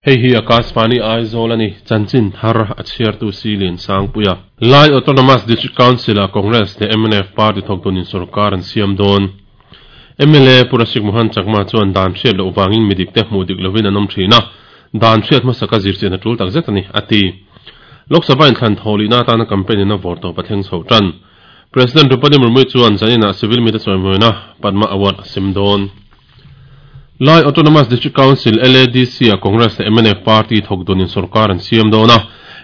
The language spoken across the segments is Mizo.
Hei hi Akashvani Aizawl a ni, chanchin thar a chhiartu si Liansangpuia. Lai Autonomous District Council-ah Congress leh mnf party thawktunin sorkar an siam dawn. Mla Pu Rasik Mohan Chakma chuan dan hriat loh vangin midik te hmuh dik lovin an awm thin a, dan hriat hmasaka zirchian a tul takzet a ni, a ti. Lok Sabha inthlan thawhlihna atana campaign in a vawr tawp a thleng chho tan. President Droupadi Murmu chuan zaninah civil mite chawimawina Padma Award a sem dawn. Lai Autonomous District Council, LADC, ah Congress leh mnf party thawk dunin sorkar an siam dawn a.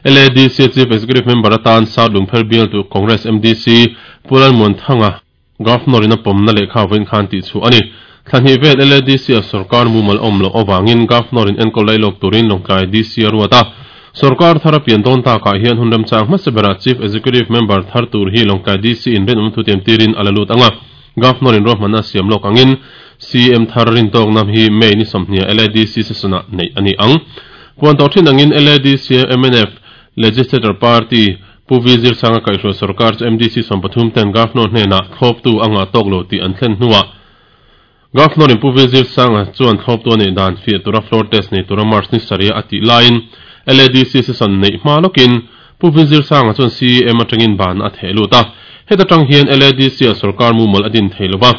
LADC Chief Executive Member atan South Lungpher bialtu Congress MDC Pu Lalmuanthanga Governor in a pawmna lehkha vawiin khan tih chhuah a ni. Thla hnih vel LADC ah sorkar mumal awm loh avangin Governor in enkawl lailawk turin Lawngtlai DC a ruat a. Sorkar thar a pian dawn takah hian hun remchang hmasa berah Chief Executive Member thar tur hi Lawngtlai DC in rinawm thu tiam tirin a la lut ang a. Governor in ruahmanna a siam lawk angin CM thar rintawkna hi May ni sawmhnih ah LADC session ah neih a ni ang. Puan tawh thin angin LADC mnf Legislator Party Pu V Zirsanga kaihhruai sorkar chu MDC 13 ten Governor hnenah thlawptu a ngah tawk lo tih an thlen hnuah Governor in Pu V Zirsanga chuan thlawptu a neih dan fiah tura floor test nei tura March ni sarih a tih laiin LADC session neih hma lawkin Pu V Zirsanga chuan CEM atangin ban a theh lut a. Heta tang hian LADC ah sorkar mumal a din thei lova.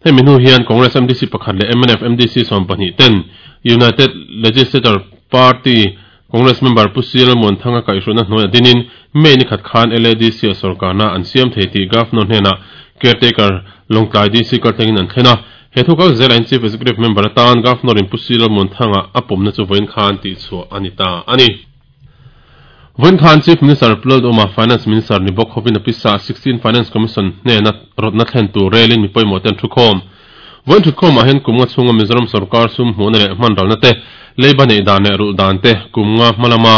Hemi hnu hian Congress MDC pakhat leh mnf MDC 12 ten United Legislator Party Congress member Pu CL Muanthanga kaihhruihna hnuaiah dinin May ni khat khan LADC a sorkarna an siam thei tih Governor hnenah Caretaker Lawngtlai DC kaltlengin an thlen a. He thu kal zelahin Chief Executive Member atan Governor in Pu CL Muanthanga a pawmna chu vawiin khan tihchhuah a ni ta a ni. Vawiin khan Chief Minister Pu Lalduhoma, Finance Minister ni bawk hovin a pisa 16 Finance Commission hnena rawtna thlen tur relin mi pawimawh te an thukhawm. Vawiin thutkhawmah hian kum nga chhunga Mizoram sorkar sum hmuhna leh hmanralna te, leiba neih dan leh rulh dan te, kum nga hma lama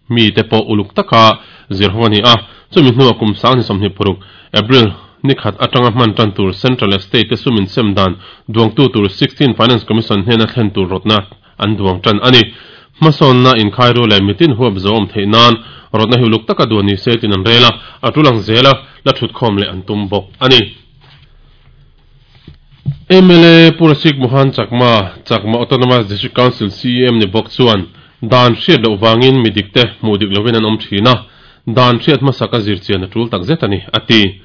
mi te pawh uluk taka zir ho a ni a. Chumi hnuah kum 2026 April ni khat atanga hman tan tur Central leh State te sum insem dan duangtu tur 16 Finance Commission hnena thlen tur rawtna an duang tan a ni. Hmasawnna inkhairu leh mitin huap zo awm theih nan rawtna hi uluk taka duan ni se tiin an rel a, a tul ang zela la thutkhawm leh an tum bawk a ni. Mla Pu Rasik Mohan Chakma, Chakma Autonomous District Council CEM ni bawk chuan dan hriat loh vangin mi dikte hmuh dik lovin an awm thin a, dan hriat hmasak a zir chian a tul takzet a ni, a ti.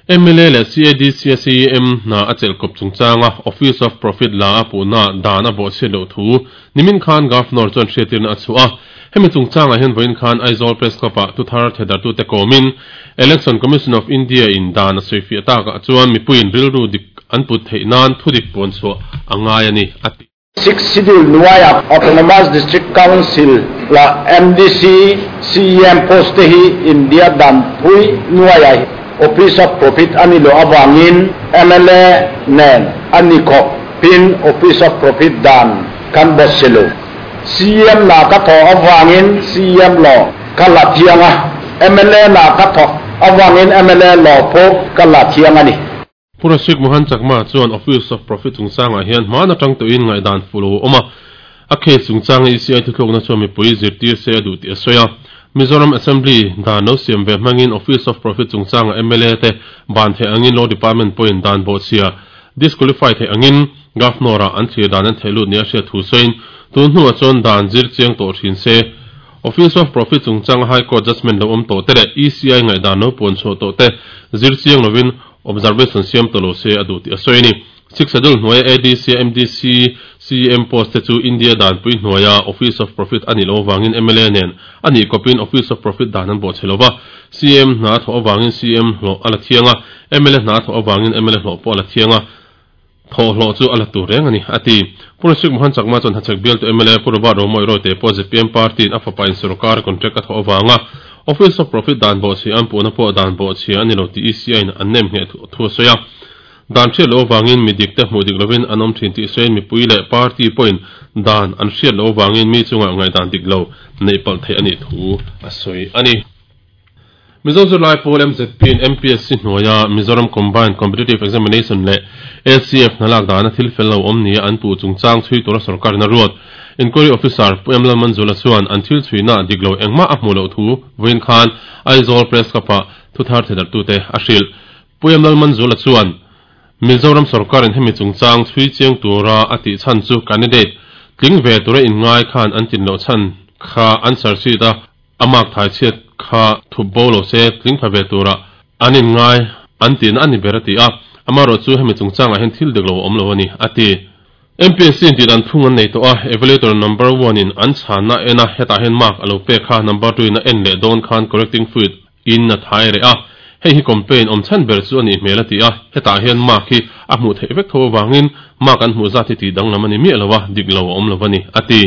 Mla leh CADC a CEM hna a chelh kawp chungchanga Office of Profit la a puhna dan a bawhchhiat loh thu nimin khan Governor chuan hriatirna a chhuah a. Hemi chungchangah hian vawiin khan Aizawl Press Club-ah thuthar thedartute kawmin Election Commission of India in dan a sawifiah takah chuan mipuiin rilru dik an put theih nan thudik puanchhuah a ngai a ni, a ti. Sixth Schedule hnuaiah Autonomous District Council la MDC CEM post te hi India danpui hnuaiah Office of Profit a ni loh avangin mla nen a ni khawp pin Office of Profit dan kan bawt si lo. CEM na ka thawh avangin CEM law ka la thiang a, mla na ka thawh avangin mla law pawh ka la thiang a ni. Pu Rasik Mohan Chakma chuan Office of Profit chungchangah hian hmaan atang tawhin ngaihdan fuh lo a awm a, a case chungchanga ECI thuthlukna chuan mipui zirtir se a duh tih a sawi a. Mizoram Assembly dan lo siam ve hmangin Office of Profit chungchanga mla te ban theih angin Law Department pawhin dan bawhchhia disqualify theih angin Governor-ah an thlir dan an theih lut nia hriat thu sawiin tun hnuah chuan dan zir chiang tawh thin se Office of Profit chungchanga High Court judgement lo awm tawh te leh ECI ngaihdan lo puan chhuah tawh te zir chiang lovin Observation siam tawh lo se a duh tih a sawi a ni. Sixth Schedule hnuaia ADC, MDC, CEM post te chu India danpui hnuaia Office of Profit a nih loh avangin mla nen a nih kawpin Office of Profit dan an bawhchhe lo va, CEM hna a thawh avangin CEM hlawh a la thiang a, mla hna a thawh avangin mla hlawh pawh a la thiang a, thawh hlawh chu a la tur reng a ni, a ti. Pu Rashik Mohan Chakma chuan Hachhek bialtu mla Pu Robert Romawih Royte pawh zpm party-in a fapa in sorkar contract a thawh avanga Office of Profit dan bawhchhia an puhna pawh dan bawhchhia a ni lo tih ECI-in an nem ngheh thu a sawi a. Dan hriat loh avangin mi dikte hmuh dik lovin an awm thin tih sawiin mipui leh party pawhin dan an hriat loh avangin mi chungah ngaihdan dik lo neih palh theih a nih thu a sawi a ni. Mizo zirlai pawl MZP-in MPSC hnuaia Mizoram Combined Competitive Examination leh ACF hna lak dana thil fel lo awm nia an puh chungchang chhui tura sorkarin a ruat. Inquiry Officer Pu M Lalmanzula chuan an thil chhuina dik lo engmah a hmuh loh thu vawiin khan Aizawl Press Club-ah thuthar thedarhtute a hrilh. Pu M Lalmanzula chuan Mizoram sorkarin hemi chungchang chhui chiang tura a tih chhan chu candidate. Tling ve tura inngai khan an tin loh chhan kha answer sheet a a mark thai chhiat kha thup bo lo se tling pha ve tura an inngai an tihna a ni ber a ti a. Amaherawhchu hemi chungchangah hian thil dik lo a awm lo a ni, a ti. MPSC in tih dan phung an nei tawh a, evaluator number one in an chhanna a en a, hetah hian mark a lo pek kha number two in a en leh dawn khan correcting fluid in a thai reh a, hei hi complain awm chhan ber chu a nih hmel a ti a, hetah hian mark hi a hmuh theih vek tho avangin mark an hmuh zat hi tih danglam a ni miah lo a, dik lo a awm lo a ni, a ti.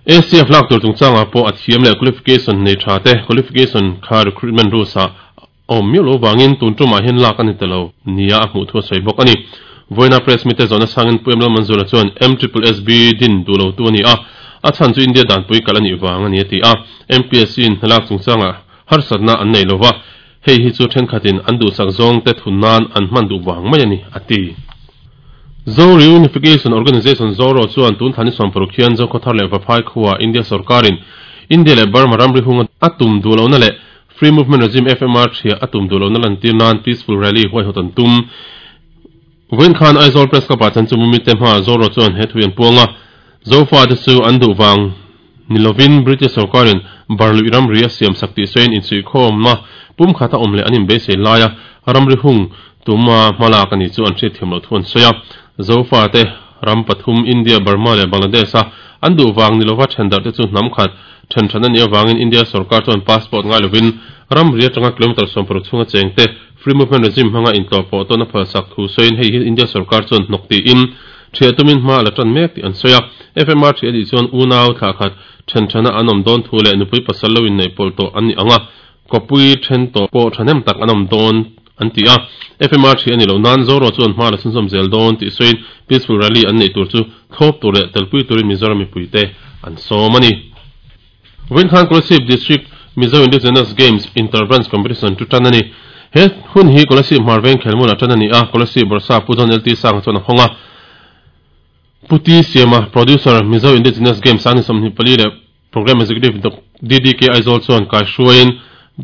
ACF lak tur chungchangah pawh a thiam leh qualification nei tha te qualification kha recruitment rules ah A awm miau lo vangin tun tumah hian lak a ni ta lo nia a hmuh thu a sawi bawk a ni. Vawiina Press mite zawhna sangin Pu Emlal Manzura chuan MSSSB din duh lo tu a ni a, a chhan chu India danpui kalh a nih vang a ni a ti a. MPSC in hnalak chungchangah harsatna an nei lo va, hei hi chu thenkhatin an duhsak zawngte thun nan an hman duh vang mai a ni a ti. Zo Reunification Organisation, ZORO, chuan tun thla ni 60 hian Zokhawthar leh Vaphai khuaa India sorkarin India leh Burma ramri hunga a tum duh lohna leh Free Movement Regime, FMR, ṭhia a tum duh lohna lantir nan Peaceful Rally huaihawt an tum. Vawiin khan Aizawl Press Club-ah chan chu mumite hmaah Zoro chuan he thu an puang a, Zofate chu an duh vang ni lovin British sorkarin Barluih ramri a siamsak tih sawiin insuihkhawmna pumkhat a awm leh an inbeisei laia ramri hung tuma hmalak a ni chu an hriatthiam loh thu an sawi a. Zofate ram pathum India, Burma leh Bangladesh-a an duh vang ni lova ṭhendarh te chu hnam khat Then than a nih avangin India sorkar chuan passport ngai lovin ramri atanga kilometre 60 chhunga chengte Free Movement Regime hmanga intlawh pawh tawn a phalsak thu sawiin hei hi India sorkar chuan hnawk tiin ṭhiah tumin hma a la ṭan mek tih an sawi a. FMR ṭhiah a nih chuan unau thlah khat then thana an awm dawn thu leh nupui pasal lo inneih pawlh tawh an nih ang a, kawpui then tawh pawh thahnem tak an awm dawn an ti a. FMR ṭhiah a nih loh nan Zoro chuan hma a la chhunzawm zel dawn tih sawiin Peaceful Rally an neih tur chu thlawp tur leh telpui turin Mizoram mipuite an sawm a ni. Vawiin khan Kolasib District Mizo Indigenous Games Inter-Branch Competition chu tan a ni. He hun hi Kolasib Hmarveng khelmulah tan a ni a, Kolasib Bawrhsap Pu John LT Sanga chuan a hawng a. Pu T Siama, Producer, Mizo Indigenous Games Sangni 24 leh Programme Executive DDK Aizawl chuan kaihruaiin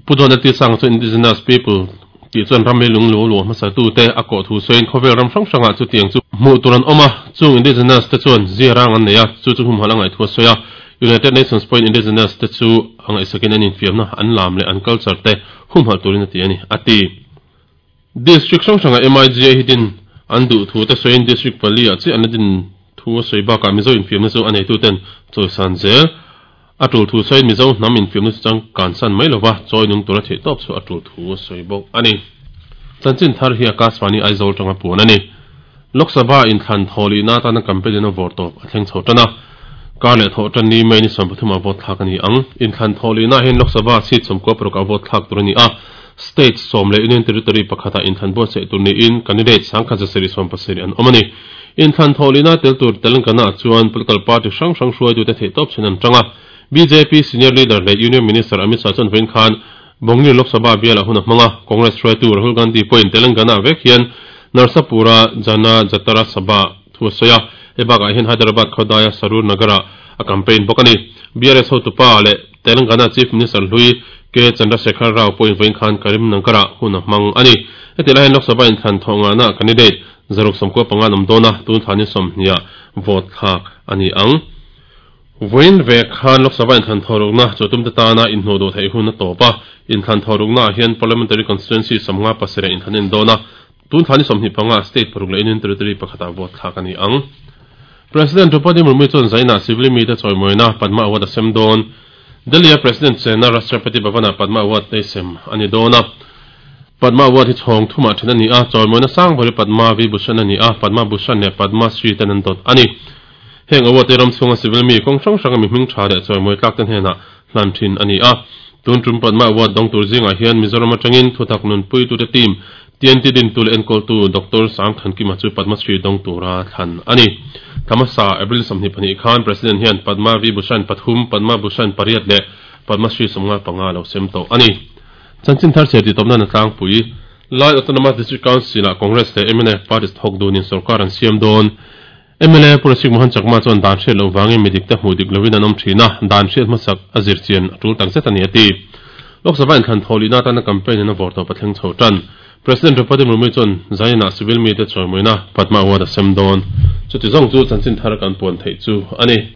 Pu John LT Sanga chuan Indigenous People tih chuan ram leilung lu luah hmasa tute a kawh thu sawiin khawvel ram hrang hrangah chutiang chu hmuh tur an awm a, chung Indigenous te chuan zia rang an nei a, chu chu humhalh a ngaih thu a sawi a. United Nations pawhin Indigenous te chu a ngaihsakin an infiamna an lam leh an culture te humhalh turin a ti a ni, a ti. District hrang hrangah MIGA hi din an duh thu te sawiin District pali ah chiah an la din thu a sawi bakah Mizo infiamna chu a neituten chawisan zel a tul thu sawiin Mizo hnam infiamna chu changkansan mai lova chawi nung tura theih tawp chu a tul thu a sawi bawk a ni. Chanchin thar hi Akashvani Aizawl tanga puan a ni. Lok Sabha inthlan thawhlihna atana campaign in a vawr tawp a thleng chho tan a. Kar leh thawh tan ni May ni 13 ah vote thlak a ni ang. Inthlan thawhlihna hian Lok Sabha seat 16 ah vote thlak tur a ni a. State sawm leh Union Territory pakhatah inthlan buatsaih tur niin candidate 1770 an awm a ni. Inthlan thawhlihna tel tur Telangana chuan political party hrang hrang hruaitute theihtawp chhin an tang a. Bjp senior leader leh Union Minister Amit Shah chuan vawiin khan Bongir Lok Sabha bialah hun a hmang a, Congress hruaitu Rahul Gandhi pawhin Telangana vek hian Narsapura Jana Jatara Sabha thu a sawi a, hei bakah hian Hyderabad khawdaia Sarur Nagar-ah a campaign bawk a ni. BRS hotupa leh Telangana Chief Minister hlui K Chandrasekhar Rao pawhin vawiin khan Karimnagar-ah hun a hmang a ni. Heti lai hian Lok Sabha inthlan thawh ngahna candidate 195 an awm dawn a, tun thla ni 20 vote thlak a ni ang. Vawiin ve khan Lok Sabha inthlan thawhrukna chu tumte tana inhnuh duh theih hun a tawp a, inthlan thawhruknaah hian Parliamentary Constituency 57 inthlan a indawn a, tun thla ni 25 state paruk leh Union Territory pakhatah vote thlak a ni ang. President Draupadi Murmu chuan Zainah civil mite chawimawina Padma Award a sem dawn. Delhi-a President chenna Rashtrapati Bhavan-ah Padma Award ei sem a ni dawn a. Padma Award hi chhawng thumah then a ni a, chawimawina sang ber hi Padma Vibhushan a ni a, Padma Bhushan leh Padma Shri ten an dawt a ni. Heng award te ram chhunga civil mi kawng hrang hranga mi hming tha leh chawimawi tlak te hnenah hlan thin a ni a. Tun tum Padma Award dawng tur zingah hian Mizoram atangin thutak nunpuitute team TNT dintu leh enkawltu Doctor Sangthankima chu Padma Shri dawng tura thlan a ni. Thla hmasa April 22 khan President hian Padma Vibhushan pathum, Padma Bhushan pariat leh Padma Shri 55 a lo sem tawh a ni. Chanchin thar chhe tih tawpna na tlangpui Lai Autonomous District Council-ah Congress leh mnf parties thawk dunin sorkar an siam dawn. Mla Pu Rasik Mohan Chakma chuan dan hriat loh vangin mi dikte hmuh dik loin an awm thin a, dan hriat hmasak a zir chian a tul tak zet a ni a ti. Lok Sabha inthlan thawhlihna atana campaign in a vawr tawp a thleng chho tan. President Draupadi Murmu chuan Zainah civil mite chawimawina Padma Award a sem dawn. Chuti zawng chu chanchin thar kan puan theih chu a ni.